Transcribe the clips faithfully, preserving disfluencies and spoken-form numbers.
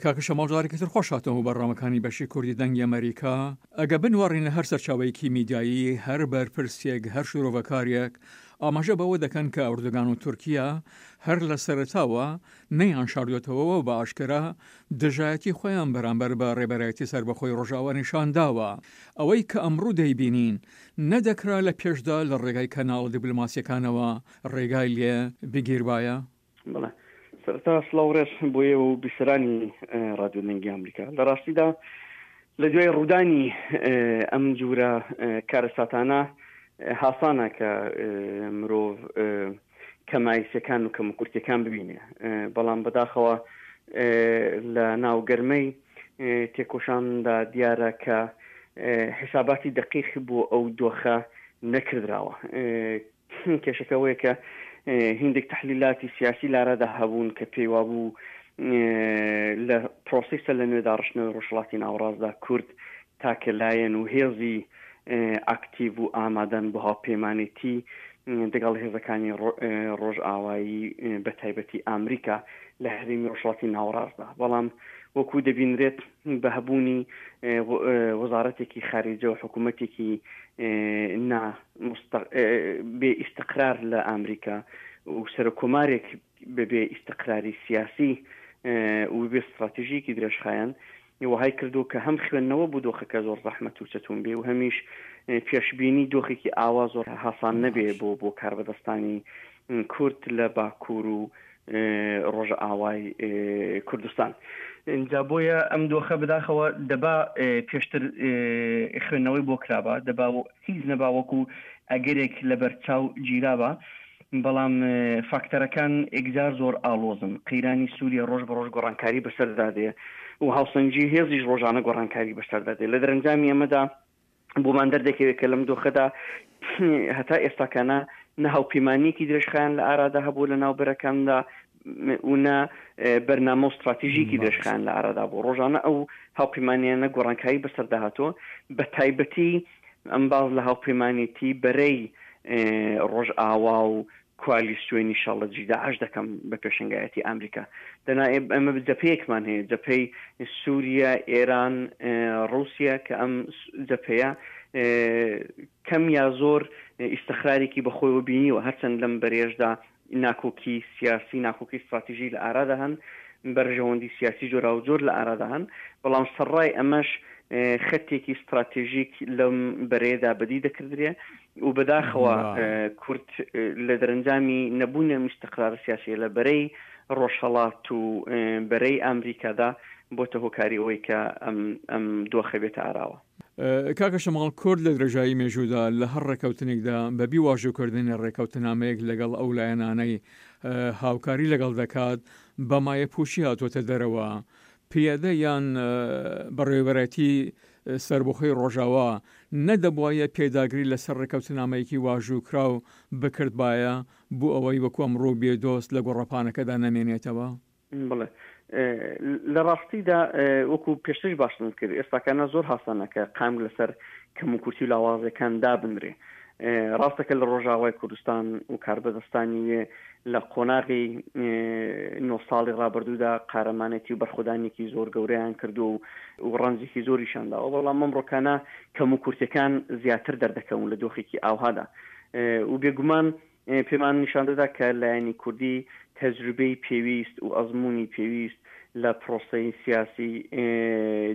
کاکە شەماڵ جارێکی تر خۆش هاتنەوە بۆ بەرنامەکانی بەشی کوردی دەنگی ئەمەریکا. ئەگە بنواڕینە هەر سەرچاوەیەکی میدیایی، هەر بەرپرسێک، هەر شرۆڤەکارێک ئاماژە بەوە دەکەن کە ئەردۆگان و تورکیا هەر لە سەرەتاوە نەیان شاردۆتەوە و بە ئاشکرا دژایەتی خۆیان بەرامبەر بە ڕێبەرایەتی سەربەخۆی ڕۆژئاوا نیشان داوە. ئەوەی کە ئەمڕۆ دەیبینین نەدەکرا لە پێشدا لە ڕێگای کەناڵە دیپلۆماسییەکانەوە ڕێگای لێ بگیربایە؟ بەڵێ سەرەتا سڵاو ڕێز بۆ ئێوە و بیسەرانی ڕادیۆ دەنگی ئەمریکا. لە ڕاستیدا لە دوای ڕوودانی ئەم جورە کارەساتانە هاسانە کە مرۆڤ کەمایسەکان و کەموکورتیەکان ببینێ، بەڵام بەداخەوە لە ناو گەرمەی تێکۆشاندا دیارە کە حساباتی دقیق بۆ ئەو دۆخە نەکردراوە. کێشەکە ئەوەیە کە هیندێک تەحلیلاتی سیاسی لارادا هەبوون کە پێی وابوو لە پرۆسەی سەر لە نوێ داڕشتنەوەی ڕۆژهەڵاتی ناوەڕاستدا کورد تاکە لایەن و هێزی ئاکتیڤ و ئامادەن بۆ هاوپەیمانێتی دەگەڵ هێزەکانی ڕۆژئاوایی بە تایبەتی ئامریکا لە هەرێمی ڕۆژهەڵاتی ناوەڕاستدا. بەڵام وەکو دەبینرێت بە هەبوونی وەزارەتێکی خارجە و حکوومەتێکی نا بێ ئیستقرار لە ئامریکا و سەرۆککۆمارێک بەبێ ئیستقراری سیاسی و بێ ستراتیژیکی درێژخایەن وەهای کردووە کە هەم خوێندنەوە بۆ دۆخەکە زۆر زەحمەت و چەتون بێ و هەمیش پێشبینی دۆخێکی ئاوا زۆر هاسان نەبێ بۆ بۆ کاربەدەستانی کورد لە باکوور و ڕۆژئاوای کوردستان. جا بۆیە ئەم دۆخە بەداخەوە دەبا پێشتر خوێندنەوەی بۆ کرابا، دەبا هیچ نەبا وەکو ئەگەرێک لەبەرچاو گیرابا، بەڵام فاکتەرەکان ئێکجار زۆر ئاڵۆزن. قەیرانی سووریە ڕۆژ بە ڕۆژ گۆڕانکاری بەسەردا دێ و هاوسەنگی هێزیش ڕۆژانە گۆڕانکاری بەسەردا دێ. لە دەرەنجامی ئەمەدا بۆمان دەردەکەوێت کە لەم دۆخەدا هەتا ئێستاکانە نە هاوپەیمانیەکی درێژخایەن لە ئارادا هەبوو لە ناو بەرەکاندا و نە بەرنامە و ستراتیژیکی درێژخایەن لە ئارادا بوو. ڕۆژانە ئەو هاوپەیمانیانە گۆڕانکاری بەسەردا هاتووە، بە تایبەتی ئەم باز لە هاوپەیمانێتی بەرەی ڕۆژئاوا و کوالیسیۆنی شەڵەجی داعش دەکەم بە پێشەنگایەتی ئەمریکا. دەنا ئێمە جەپەیەکمان هەیە، جەپەی سووریا، ئێران، ڕووسیا، کە ئەم جەپەیە کەم یا زۆر ئیستقرارێکی بەخۆیەوە بینیوە، هەرچەند لەم بەرێژدا ناکۆکی سیاسی، ناکۆکی استراتیژی لە ئارادا هەن، بەرژەوەندی سیاسی جۆراوجۆر لە ئارادا هەن، بەڵام سەرڕای ئەمەش خەتێکی استراتێژیک لەم بەرەیەدا بەدی دەکردرێ و بەداخەوە کورد لە دەرەنجامی نەبوونی ئەم ئیستقرار سیاسیە لە بەرەی ڕۆژهەڵات و بەرەی ئەمریکادا بۆتە هۆکاری ئەوەی کە ئەم ئەم دۆخە بێتە ئاراوە. کاکە شەماڵ، کورد لە درێژایی مێژوودا لە هەر ڕێکەوتنێکدا بە بی واژووکردنی ڕێکەوتنامەیەک لەگەڵ ئەو لایەنانەی هاوکاری لەگەڵ دەکات بە مایەپووچی هاتووەتە دەرەوە. پەیەدە یان بەڕێوەبەرایەتی سەربەخۆی ڕۆژاوا نەدەبوایە پێداگری لەسەر ڕێکەوتنامەیەکی واژووکراو بکردبایە بۆ ئەوەی وەکو ئەمڕۆ بێ دۆست لە گۆڕەپانەکەدا نەمێنێتەوە؟ بەڵێ، لە ڕاستیدا وەکو پێشتریش باسم کرد ئێستاکانە زۆر هاسانە کە قامک لەسەر کەموکورتی و لاوازیەکان دابنرێ. ڕاستە کە لە ڕۆژاوای کوردستان و کاربەدەستانی وێ لە قۆناغی نۆ ساڵی ڕابردوودا قارەمانێتی و بەرخۆدانێکی زۆر گەورەیان کردو و ڕەنجێکی زۆریشان داوە، بەڵام ئەمڕۆکانە کەموکورتیەکان زیاتر دەردەکەون لە دۆخێکی ئاوهادا و بێگومان پێمان نیشان دەدا کە لایەنی کوردی تەجروبەی پێویست و ئەزموونی پێویست لە پرۆسەی سیاسی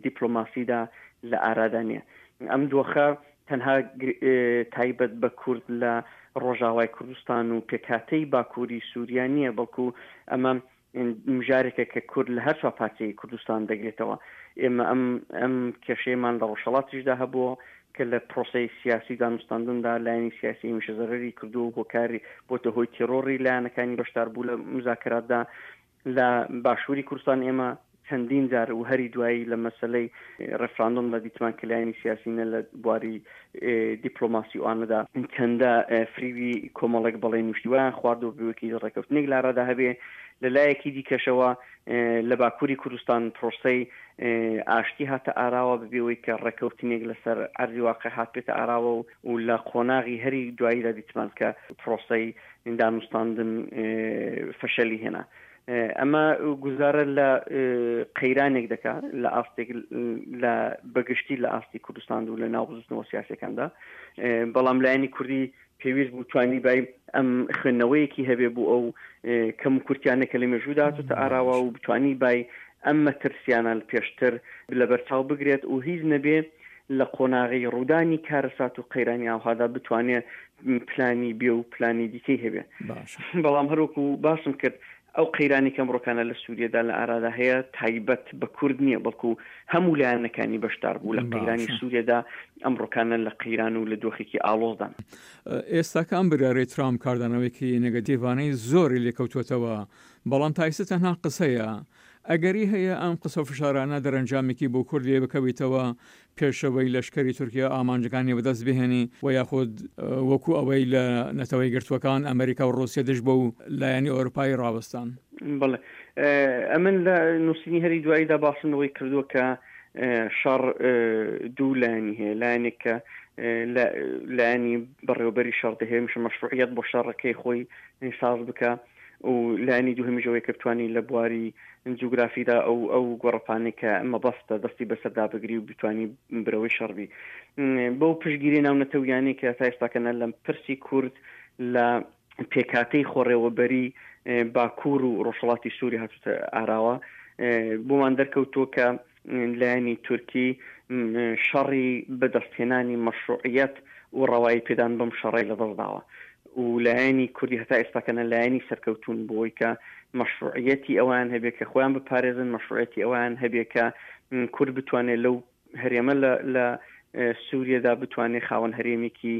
دیپلۆماسیدا لە ئارادا نییە. ئەم دۆخە تەنها تایبەت بە کورد لە ڕۆژاوای کوردستان و پێکهاتەی باکووری سووریا نییە، بەڵکو ئەمە مژارێکە کە کورد لە هەر چوار پارچەی کوردستان دەگرێتەوە. ئێمە ئەم ئەم کێشەیەمان لە ڕۆژهەڵاتیشدا هەبووە کە لە پرۆسەی سیاسی دانوستاندندا لایەنی سیاسی هەمیشە زەرەری کردووە و هۆکاری بۆتە هۆی تێرۆڕی لایەنەکانی بەشداربوو لە مزاکراتدا. لە باشووری کوردستان ئێمە چەندین جار و هەری دوایی لە مەسەلەی ڕێفراندۆمدا دیتمان کە لایەنی سیاسی نە لە بواری دیپلۆماسی و ئانەدا چەندە فریوی کۆمەڵێک بەڵێن و شتی وایان خواردووە بەوەی ڕێکەوتنێک لارادا هەبێ. لە لایەکی دیکەشەوە لە باکووری کوردستان پرۆسەی ئاشتی هاتە ئاراوە بەبێ ئەوەی کە ڕێکەوتنێک لەسەر ئەرزی واقع هات بێتە ئاراوە و لە قۆناغی هەری دواییدا دیتمان کە پرۆسەی دانوستاندن فەشەلی هێنا. ئەمە گوزارە لە قەیرانێک دەکا لە ئاستێک لە بەگشتی لە ئاستی کوردستان و لە ناو بزوتنەوە سیاسەکاندا، بەڵام لایەنی کوردی پێویست بوو توانی بای ئەم خوێندنەوەیەکی هەبێ بوو ئەو کەم و کورتیانە کە لە مێژوودا هاتووتە ئاراوە و بتوانی بای ئەم مەترسیانە پێشتر لەبەرچاو بگرێت و هیچ نەبێ لە قۆناغی ڕوودانی کارەسات و قەیرانی ئاوهادا بتوانێت پلانی بێ و پلانی دیکەی هەبێ. بەڵام هەروەکو باسم کرد ئەو قەیرانی کەم ڕۆکانە لە سووریەدا لە ئارادا هەیە تایبەت بە کورد نییە، بەڵکو هەموو لایەنەکانی بەشدار بوو لە قەیرانی سووریەدا ئەمڕۆکانە لە قەیران و لە دۆخێکی ئاڵۆزدان. ئێستاکە ئەم بڕیارەی ترامپ کاردانەوەیەکی نێگەتیڤانەی زۆری لێکەوتووەتەوە، بەڵام تا ئێستا تەنها قسەیە. ئەگەری هەیە ئەم قسە و فشارانە دەرەنجامێکی بۆ کورد لێ بکەویتەوە پێشەوەی لەشکری تورکیا ئامانجەکانی بەدەست بهێنی و یاخود وەکو ئەوەی لە نەتەوەی گرتووەکان ئەمریکا و ڕووسیا دژ بە و لایەنی ئەوروپایی ڕاوەستان؟ بەڵێ، ئەمن لە نووسینی هەری دواییدا باسم لەوەی کردووە کە شەڕ دوو لایەنی هەیە، لایەنێک کە لایەنی بەڕێوەبەری شەڕ دەهێمیشە مەشروعیەت بۆ شەڕەکەی خۆی ساز بکە، و لایەنی دووهەمیشەوەی کە بتوانی لە بواری جوگرافیدا ئەو ئەو گۆڕەپانەی کە مەبەستە دەستی بەسەردا بگری و بتوانی برەوەی شەڕبی. بەو پشتگیری ناونەتەویانەی کە تا ئێستاکەنە لەم پرسی کورد لە پێکاتەی خۆڕێوەبەری باکوور و ڕۆژهەڵاتی سووری هاتوتە ئاراوە، بۆمان دەرکەوتووە کە لایەنی تورکی شەڕی بەدەستهێنانی مەشروعیەت و ڕەوایی پێدان بەم شەڕەی لەدەستداوە و لایەنی کوردی هەتا ئێستاکەنە لایەنی سەرکەوتون بۆی کە مەشروعیەتی ئەوان هەبێ کە خۆیان بپارێزن، مەشروعیەتی ئەوان هەبێ کە کورد بتوانێت لەو هەرێمە لە سووریەدا بتوانێت خاوەن هەرێمێکی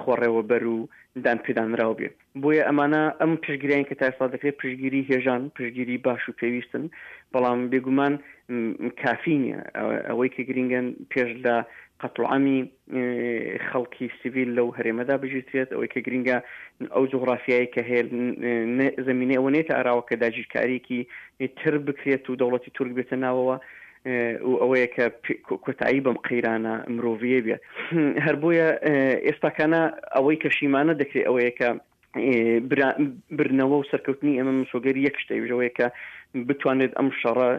خۆڕێوەبەر و دان پێدانراو بێ. بۆیە ئەمانە ئەم پشتگیریان کە تا ئێستا دەکرێت پشتگیری هێژان، پشتگیری باش و پێویستن، بەڵام بێگومان کافی نییە. ئەوەی کە گرنگن پێش لە قەتڵعامی خەڵکی سیڤیل لەو هەرێمەدا بگیرترێت، ئەوەی کە گرنگە ئەو جوغرافیایی کە هەیە زمینەی ئەوە نێتە ئاراوە کە داگیرکاریەکی تر بکرێت و دەوڵەتی تورک بێتە ناوەوە و ئەوەیە کە کۆتایی بەم قەیرانە مرۆڤیە بێت. هەر بۆیە ئێستاکانە ئەوەی کە شیمانە دەکرێت ئەوەیە کە برنەوە و سەرکەوتنی ئێمە مسۆگەری یەک شتە، ئەوەیە کە بتوانێت ئەم شەڕە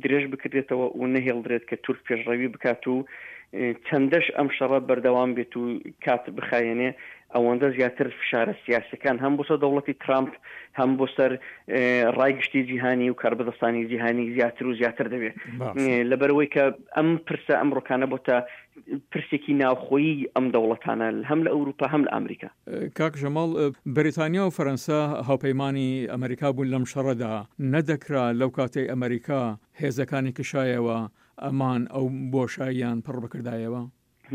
درێژ بکرێتەوە و نەهێڵدرێت کە تورک پێشڕەوی بکات و چەندەش ئەم شەڕە بەردەوام بێت و کات بخایەنێ ئەوەندە زیاتر فشارە سیاسەکان هەم بۆ سەر دەوڵەتی ترامپ هەم بۆ سەر ڕای گشتی جیهانی و کاربەدەستانی جیهانی زیاتر و زیاتر دەبێت. لەبەرەوەی کە ئەم پرسە ئەمڕۆکانە بۆتە پرسێکی ناوخۆیی ئەم دەوڵەتانە هەم لە ئەوروپا هەم لە ئەمریکا. کاک جەماڵ، بەریتانیا و فەرەنسا هاوپەیمانی ئەمریکا بوون لەم شەڕەدا، نەدەکرا لەو کاتەی ئەمریکا هێزەکانی کشایەوە ئەمان ئەو بۆشاییان پڕ بکردایەوە؟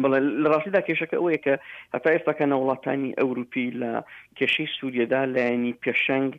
بەڵێ، لە ڕاستیدا کێشەکە ئەوەیە کە هەتا ئێستاکە وڵاتانی ئەوروپی لە کێشەی سووریەدا لایەنی پێشەنگ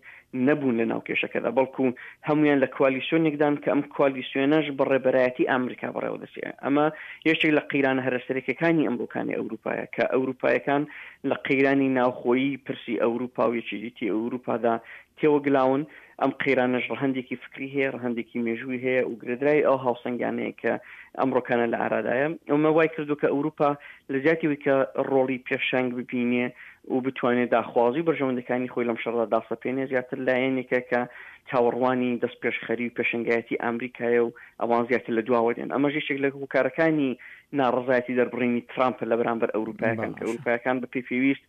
نەبوون لە ناو کێشەکەدا، بەڵکو هەمویان لە کوالیسیۆنێکدان کە ئەم کوالیسیۆنەش بە ڕێبەرایەتی ئەمریکا بەڕێوە دەچێت. ئەمە یەکێک لە قەیرانە هەرە سەرەکیەکانی ئەمڕۆکانی ئەوروپایە کە ئەوروپایەکان لە قەیرانی ناوخۆیی پرسی ئەوروپا و یەکێتی ئەوروپادا تێوەگلاون. ئەم قەیرانەش ڕەهەندێکی فکری هەیە، ڕەهەندێکی مێژووی هەیە و گرێدرای ئەو هاوسەنگانەیە کە ئەمڕۆکانە لە ئارادایە. ئەمە وای کردو کە ئەوروپا لە جیاتی کە ڕۆڵی پێشەنگ ببینێ و بتوانێت داخوازی و بەرژەوەندەکانی خۆی لەم شەڕدا داسەپێنێ، زیاتر لایەنێکە کە چاوەڕوانی دەست پێشخەری و پێشەنگایەتی ئەمریکایە و ئەوان زیاتر لە دواوە دێن. ئەمەش یەکێک لە هۆکارەکانی ناڕەزایەتی دەربڕینی ترامپ لە بەرامبەر ئەوروپایەکان کە ئەوروپایەکان بە پێی پێویست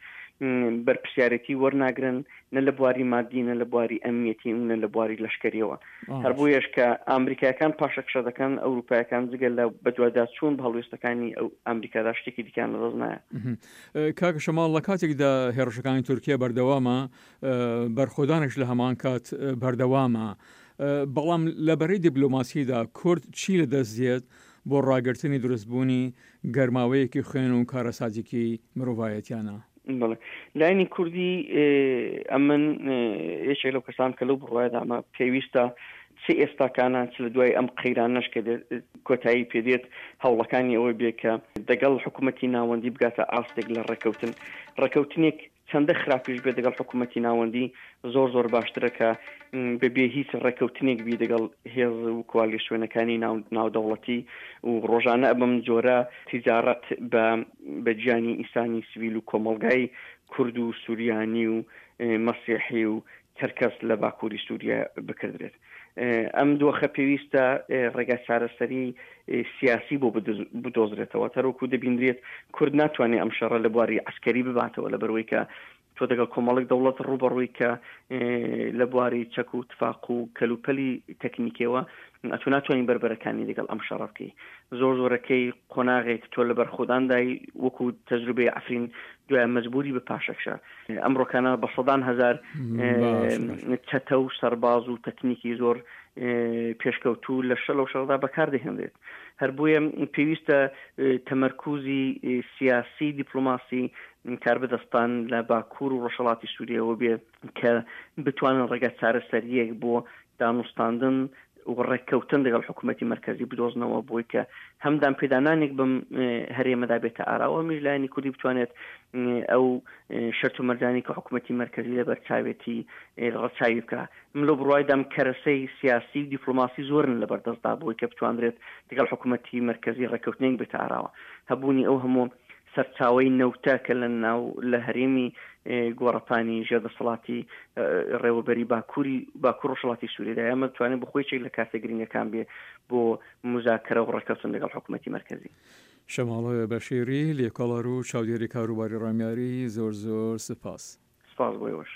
بەرپرسیارێتی وەرناگرن، نە لە بواری مادی، نە لە بواری ئەمنیەتی و نە لە بواری لەشکریەوە. هەر بۆیەش کە ئەمریکایەکان پاشەکشە دەکەن، ئەوروپایەکان جگە لە بەدواداچوون بە هەڵوێستەکانی ئەو ئەمریکادا شتێکی دیکەیان لەدەست نایە. کاک شەماڵ، لە کاتێکدا هێرشەکانی تورکیا بەردەوامە، بەرخۆدانش لە هەمان کات بەردەوامە، بەڵام لە بەرەی دیپلۆماسیدا کورد چی لەدەست دێت بۆ ڕاگرتنی دروستبوونی گەرماوەیەکی خوێن و کارەساتێکی مرۆڤایەتیانە؟ بەڵێ، لایەنی کوردی ئەمن یەکێک لەو کەسان کە لەو بڕوایەدا ئەمە پێویستە چ ئێستاکانە چ لە دوای ئەم قەیرانەش کە کۆتایی پێدێت هەوڵەکانی ئەوەی بێ کە دەگەڵ حکوومەتی ناوەندی بگاتە ئاستێک لە ڕێکەوتن. ڕێکەوتنێک چەندە خراپیش بێت دەگەڵ حکوومەتی ناوەندی زۆر زۆر باشترە کە بەبێ هیچ ڕێکەوتنێک بی دەگەڵ هێز و کوالیسیۆنەکانی ناودەوڵەتی و ڕۆژانە بەم جۆرە تیجارەت بە بە گیانی ئینسانی سیویل و کۆمەڵگای کورد و سوریانی و مەسیحی و چەرکەس لە باکووری سووریا بکردرێت. ئەم دۆخە پێویستە ڕێگا چارەسەری سیاسی بۆ بدۆزرێتەوە. تەرۆکو دەبیندرێت کورد ناتوانێت ئەم شەڕە لە بواری عسکەری بباتەوە، لە بەروەی کە تۆ دەگەڵ کۆمەڵێک دەوڵەت ڕوبەڕووی کە لە بواری چەک و تفاق و کەلوپەلی تەکنیکیەوە ئەتۆ ناتوانین بەربەرەکانی لەگەڵ ئەم شەڕە بکەی. زۆر زۆرەکەی قۆناغێک تۆ لە بەرخۆداندای وەکو تەجروبەی عەفرین دوای مەجبوری بە پاشەکشە. ئەمڕۆکانە بە سەدان هەزار چەتە و سەرباز و تەکنیکی زۆر پێشکەوتوو لە شەل و شەڕدا بەکاردەهێنرێت. هەر بۆیە پێویستە تەمەرکوزی سیاسی دیپلۆماسی کاربەدەستان لە باکوور و ڕۆژهەڵاتی سووریەوە بێ کە بتوانن ڕێگا چارەسەریەک بۆ دانوستاندن و ڕێککەوتن لەگەڵ حکوومەتی مەرکەزی بدۆزنەوە بۆی کە هەم دانپێدانانێک بەم هەرێمەدا بێتە ئاراوە، هەمیش لایەنی کوردی بتوانێت ئەو شەرت و مەرجانی کە حکوومەتی مەرکەزی لەبەر چاوێتی ڕەچاوی بکە. من لەو بڕوایدام کەرەسەی سیاسی و دیپلۆماسی زۆرن لەبەردەستدا بۆی کە بتواندرێت لەگەڵ حکوومەتی مەرکەزی ڕێککەوتنێک بێتە ئاراوە. هەبوونی ئەو هەموو سەرچاوەی نەوتە کە لە ناو لە هەرێمی گۆڕەپانی ژێردەسەڵاتی ڕێوەبەری باکووری باکوور ڕۆژهەڵاتی سووریدا، ئەمە بتوانێت بە خۆی یەکێک لە کارتە گرنگەکان بێ بۆ مزاکرە و ڕێککەوتن لەگەڵ حکوومەتی مەرکەزی. شەماڵ بەشیری، لێکۆڵەر و چاودێری کاروباری ڕامیاری، زۆر زۆر سپاس. سپاس بۆ ئێوەش.